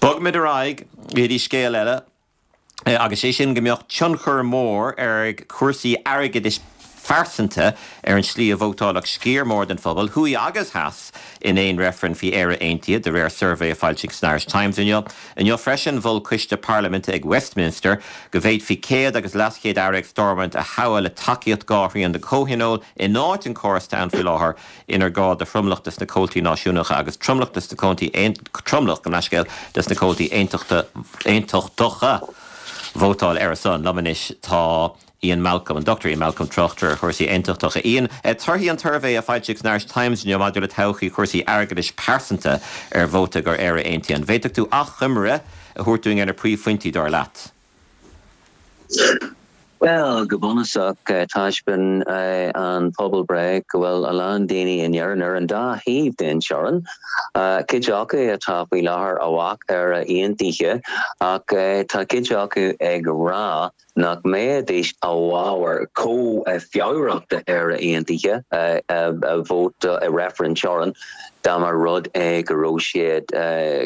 Bogfaimid ar aghaidh go dtí scéal eile, agus sé sin go mbeadh tionchar mór ag cúrsaí airgeadais phearsanta ar an tslí a vótálfadh sciar mór den phobal, thuaidh agus theas, in aon reifreann faoi Éire Aontaithe, de réir suirbhé a foilsíodh san Irish Times inniu. Inniu freisin, mhol coiste parlaiminte ag Westminster go bhféadfaí céad agus leaschéad aire ag Stormont a thoghadh le tacaíocht dhá thrian den chomhthionól in áit an chórais atá ann faoi láthair inar gá do thromlach des na comhaltaí náisiúnacha agus tromlach des na comhaltaí tromlach, gabh mo leithscéal, des na comhaltaí aontachtacha vótáil ar a son. Liom anois tá Ian Malcolm, an Dr Ian Malcolm, tráchtaire ar chúrsaí aontachtacha. Ian, torthaí an tsuirbhé a foilsíodh san Irish Times inniu maidir le todhchaí chúrsaí airgeadais pearsanta ar vóta do Éire Aontaithe. An bhféadfadh tú achoimre a thabhairt dúinn ar na príomhphointí, dar leat? Bhuel, go bunúsach, taispeánann an pobalbhreith go bhfuil a lán daoine in Éirinn ar an dá thaobh den teorainn, cuid acu atá faoi láthair i bhfách Éire Aontaithe ach tá cuid acu ag rá nach mbeidís i bhfabhar chomh fabhrach d'Éire Aontaithe a vóta i reifreann teorann dá mba rud é go raibh siad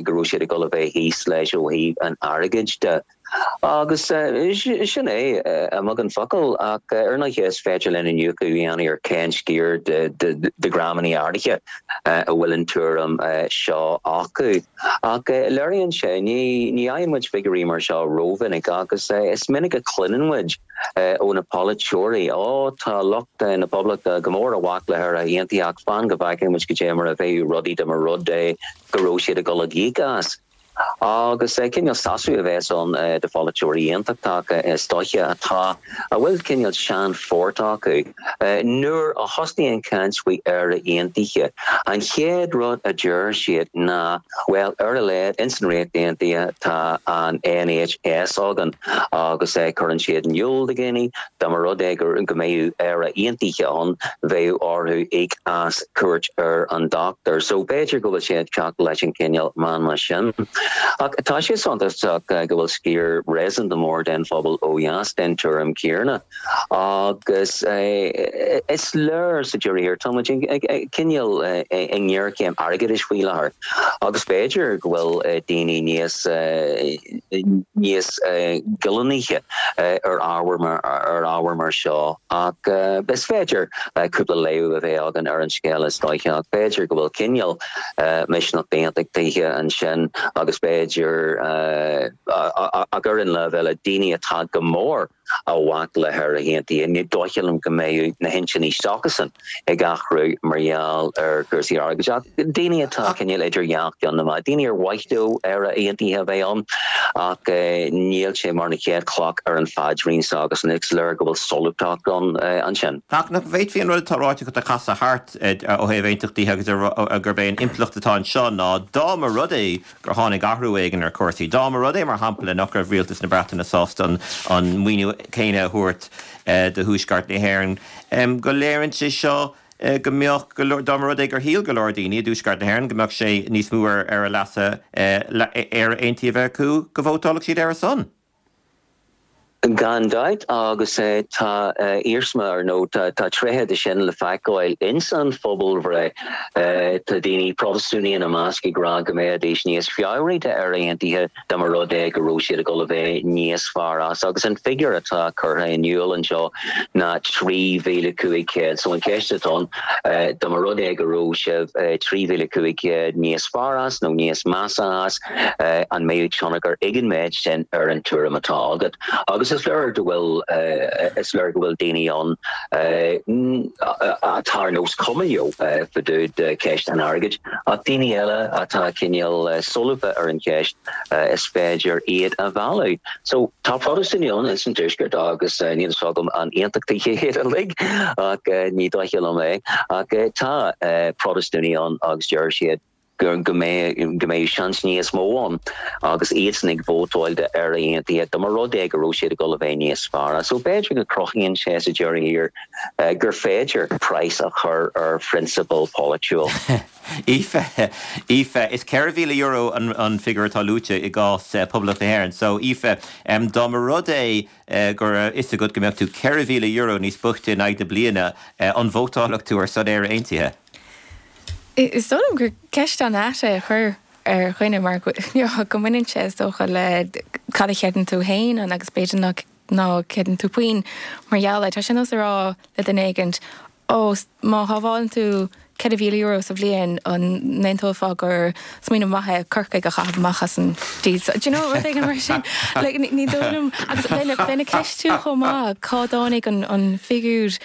go raibh siad ag dul a bheith thíos leis ó thaobh an airgid de. Agus sin é, i mbeagán focal, ach ar ndóighe is féidir linn iniúchadh a dhéanamh ar cén sciar de dhreamanna áirithe a bhfuil an tuairim seo acu. Ach léiríonn sé, ní fhaigheann muid figiúirí mar seo rómhinic agus is minic a chluineann muid ó na polaiteoirí, Ó, tá lucht na Poblachta go mór i bhfách le hÉire Aontaithe ach fan go bhfeicfidh muid goidé mar a bheidh rudaí dá mba rud é go raibh siad ag dul ag íoc as. Agus cineál sásamh a bheas ann do pholaiteoirí aontachtacha is dóiche atá, a bhfuil cineál seanphort acu. Nuair a thosnaíonn caint faoi Éire Aontaithe, an chéad rud a deir siad ná, bhuel, ar a laghad ins an Ríocht Aontaithe tá an NHS againn agus cuireann siad in iúl do dhaoine dá mba rud é go mbeadh Éire Aontaithe ann, bheadh orthu íoc as cuairt ar an dochtúir. So b'fhéidir go bhfuil sé ag teacht leis an cineál meanma sin. Ach tá sé suntasach go bhfuil sciar réasúnta mór den phobal ó dheas den tuairim chéanna. Agus is léir sa deireadh thiar, tá muid cineál i ngéarchéim airgeadais faoi láthair agus b'fhéidir go bhfuil daoine níos níos goilliúnaithe ar ábhar ar ábhar mar seo ach is féidir cúpla léamh a bheith againn ar an scéal is dóiche ach b'fhéidir go bhfuil cineál misneach d'aontachtaithe ansin agus b'fhéidir ach ar an lámh eile daoine atá go mór i bhfách le hÉire Aontaithe. Ní dóiche liom go mbeidh na hintinní s'acusan ag athrú mar gheall ar chúrsaí airgid ach daoine atá cineál idir dhá cheann na meá, daoine ar mhaith leo Éire Aontaithe a bheith ann ach níl sé mar an chéad chloch ar an phaidrín s'acusan. Is léir go bhfuil solúbthacht ann ansin. Ach nach bhféadfaí an rud atá ráite agat a chasadh thart ó thaobh aontachtaithe agus gurb é an impleacht atá anseo ná dá mba rud é gur tháinig athrú éigin ar chúrsaí. Dá mba rud é, mar shampla, nach raibh rialtas na Breataine sásta an maoiniú céanna a thabhairt do Thuaisceart na hÉireann, go léiríonn sé seo go mbeadh go leor, dá mba rud é gur shíl go leor daoine i dTuaisceart na hÉireann go mbeadh sé níos mó ar a leasa Éire Aontaithe a bheith acu, go vótálfadh siad ar a son. Gan dabht, agus tá iarsma, ar nó tá tréithe de sin le feiceáil ins an phobalbhreith. Tá daoine, Protastúnaigh ina measc, ag rá go mbeidís níos fabhraí d'Éire Aontaithe dá mba rud é go raibh siad ag dul a bheith níos fearr as. Agus an figiúr atá curtha in iúl anseo ná 3,500. So an cheist atá ann, dá mba rud é go raibh sibh 3,500 níos fearr as nó níos measa as, an mbeadh tionchar ag an méid sin ar an tuairim atá agat? Agus is léir go bhfuil, is léir go bhfuil daoine ann atá ar nós cuma leo fá dtaobh de cheist an airgid, ach daoine eile atá cineál solúbtha ar an cheist, is féidir iad a mhealladh. So, tá Protastúnaigh ann ins an Tuaisceart agus níl fhios agam an aontachtaithe iad uilig, ach ní dóiche liom é, ach tá Protastúnaigh ann agus deir siad, go mbeidh go mbeidh seans níos mó ann agus iadsan ag vótáil d'Éire Aontaithe dá mba rud é go raibh siad ag dul a bheith níos fearr as. So b'fhéidir go cruthaíonn sé sa deireadh thiar gur féidir praghas a chur ar phrionsabal polaitiúil. Aoife, Aoife, is €4,000 an an figiúr atá luaite i gcás Poblacht na hÉireann. So Aoife, dá mba rud é go raibh fhios agat go mbeadh tú €4,000 níos boichte in aghaidh na bliana, an vótálfadh tú ar son Éire Aontaithe? Is dóigh liom gur ceist an-ait é a chur. ar dhuine mar go mbaineann sé is dócha le cad a chreideann tú féin ann agus b'fhéidir nach ná creideann tú puinn mar gheall air. Tá sé ar nós a rá le duine éigint, Ó, má shábhálann tú €4,000 sa bhliain, an n-aontófá gur smaoineamh maith é Corcaigh a chaitheamh amach as an dtír seo? Do you know, rud éigin mar sin. Like, ní dóigh liom, agus bheinn ag ceistiú chomh maith cá dtáinig an figiúr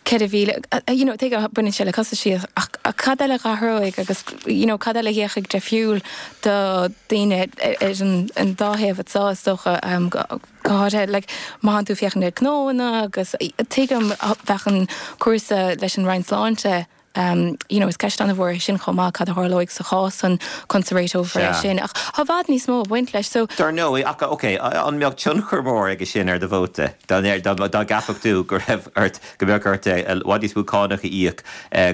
4,000, you know, tuigim, baineann sé le costaisí ach cad eile a athróidh agus, you know, cad eile a dhéanfaidh difriúil do daoine ar an dá thaobh anseo, is dócha, go háirithe, like, má thánn tú ag féachaint ar gnóanna agus tuigim bheadh an cúrsa leis an Roinn Sláinte, you know, is ceist an-mhór é sin chomh maith, cad a tharlóidh sa chás san, conas a réiteofar é sin, ach tá i bhfad níos mó ag baint leis, so. Dar ndóigh, ach, ok, an mbeadh tionchar mór aige sin ar do vóta, dá gceapfadh tú go raibh ort, go mbeadh ort i bhfad níos mó cánach a íoc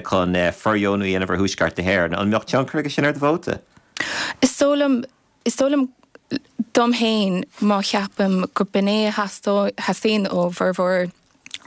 chun fordheonú a dhéanamh ar Thuaisceart na hÉireann, an mbeadh tionchar aige sin ar do vóta? Is dóigh liom, Is dóigh liom dom féin, má cheapaim go b'in é a theastaíonn ó bhformhór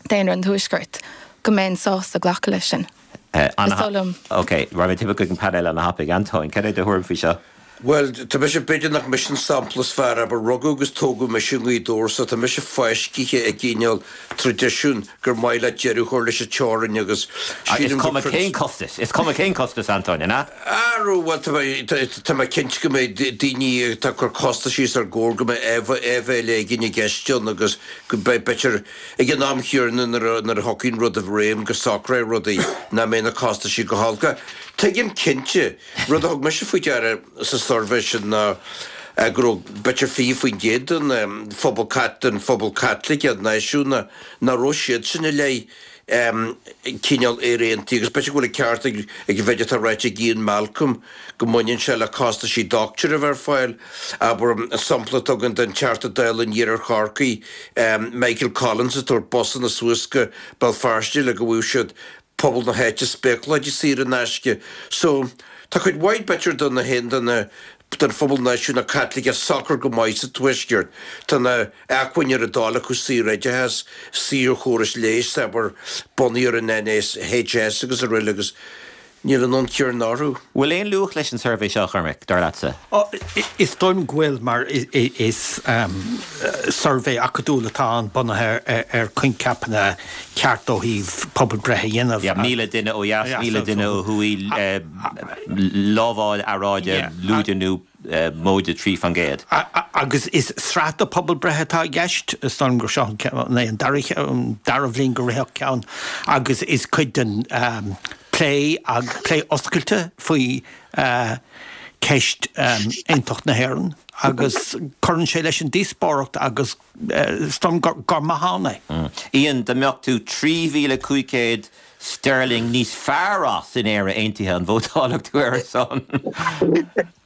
daonra an Tuaiscirt, go mbeinn sásta glacadh leis sin. Is dóigh liom. Ok, raghaidh mé timpeall chuig an painéal ana-thapaidh. Antóin, cad é do thuairim faoi seo? Bhuel, tá mise, b'fhéidir nach mise an sampla is fearr, abair, rugadh agus tógadh mise i nGaoth Dobhair so tá mise fáiscithe i gcineál traidisiún gur maith leat deireadh a chur leis an teorainn agus sílim Is cuma cén costas, is cuma cén costas, Antóin, an ea? Arú, bhuel, tá mé, tá mé cinnte go mbeidh daoine atá ag cur costais os ár gcomhair, go mbeidh áibhéil éigin i gceist ann agus go mbeidh, b'fhéidir, ag an am chéanna nuair a, nuair a thiocfaidh an rud i réim go socróidh rudaí, nach mbeidh na costaisí go holc. Tuigim cinnte, rud a thug mise faoi deara sa suirbhé sin ná go raibh b'fhéidir 20% den phobal, den phobal Caitliceach náisiúnach nach raibh siadsan i leith cineál Éire Aontaithe agus b'fhéidir go bhfuil an ceart ag an mhéid atá ráite ag Ian Malcolm go mbaineann sé le costaisí doctor a bheith ar fáil. Abair, an sampla atá againn den Teachta Dála in Iarthar Chorcaí, Michael Collins ag tabhairt busanna suas go Béal Feirste le go bhfaigheadh siad pobal na háite spéacláidí saor in aisce. So, tá cuid mhaith b'fhéidir de na haon duine den phobal náisiúnach Caitliceach socair go maith sa Tuaisceart. Tá na acmhainní ar a dtoil acu saoroideachas, saorchóras leighis, abair, bunaithe ar an NHS agus araile agus níl an fonn céanna orthu. Bhfuil aon luach leis an suirbhé seo, a Chormaic, dar leatsa? Is dóigh liom go bhfuil, mar is suirbhé acadúil atá ann bunaithe ar choincheapanna ceart ó thaobh pobalbhreith a dhéanamh. Yeah, 1,000 duine ó dheas, 1,000 duine ó thuaidh, lamháil earráide lúide nó móide 3%. Agus is sraith de pobalbhreith atá i gceist, is dóigh liom gur seo an dara bhliain gur ritheadh ceann agus is cuid den plé, plé oscailte faoi cheist aontacht na hÉireann agus cuireann sé leis an díospóireacht agus is dóigh liom gur maith ann é. Ian, dá mbeadh tú 3,500 sterling níos fearr as in Éire Aontaithe, an vótálfadh tú ar a son?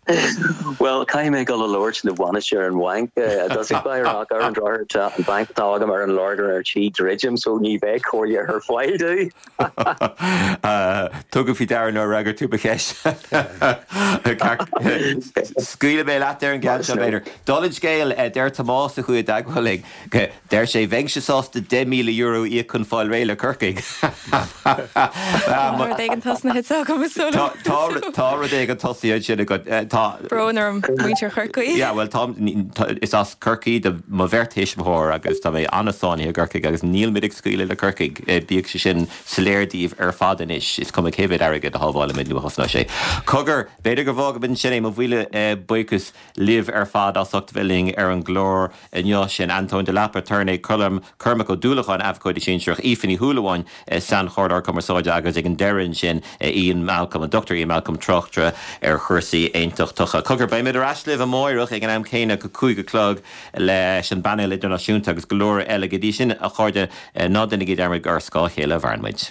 Bhuel, caithfidh mé dul a labhairt le bainisteoir an bhainc i dtosach báire ach ar an drochuair tá an banc atá agam ar an Lorgain ar tí druidim so ní bheidh comhairle ar fáil domh. Tugaim faoi deara nár fhreagair tú mo cheist. Scaoilfidh mé leat ar an gceann seo b'fhéidir. Dála an scéil, deir Tomás a chuaigh i dteagmháil linn, Deir sé, Bheinnse sásta €10,000 a íoc chun fáil réidh le Corcaigh. Tá rud éigin tosnaithe anseo agam is dóigh liom. Tá rud éigin tosaithe ansin agat. Tá. Brón orm, muintir Chorcaí. Yeah, bhuel tá, is as Corcaigh do mo bheirt thuismitheoir agus tá mé an-sáinnithe i gCorcaigh agus nílimid ag scaoileadh le Corcaigh, bíodh sé sin soiléir daoibh ar fad anois, is cuma cé mhéad airgead a shábhálaimid nó a chosnóidh sé. Cogar, b'fhéidir go bhfágfaimid ansin é, mo mhíle buíochas libh ar fad as ucht a bheith linn ar an gclár inniu. Sin Antóin de Lapa, aturnae, Colm, Cormac Ó Dúlacháin, Abhcóide Sinsearach, Aoife Ní Shúilleabháin, Sainchomhairleoir Cumarsáide agus ag an deireadh ansin Ian Malcolm, an Dr Ian Malcolm, tráchtaire ar chúrsaí aontachtacha. Cogar, beimid ar ais libh amáireach ag an am céanna, go 5 a chlog leis an bpainéal idirnáisiúnta agus go leor eile. Go dtí sin, a chairde, ná déanaigí dearmad gur ar scáth a chéile a mhaireann muid.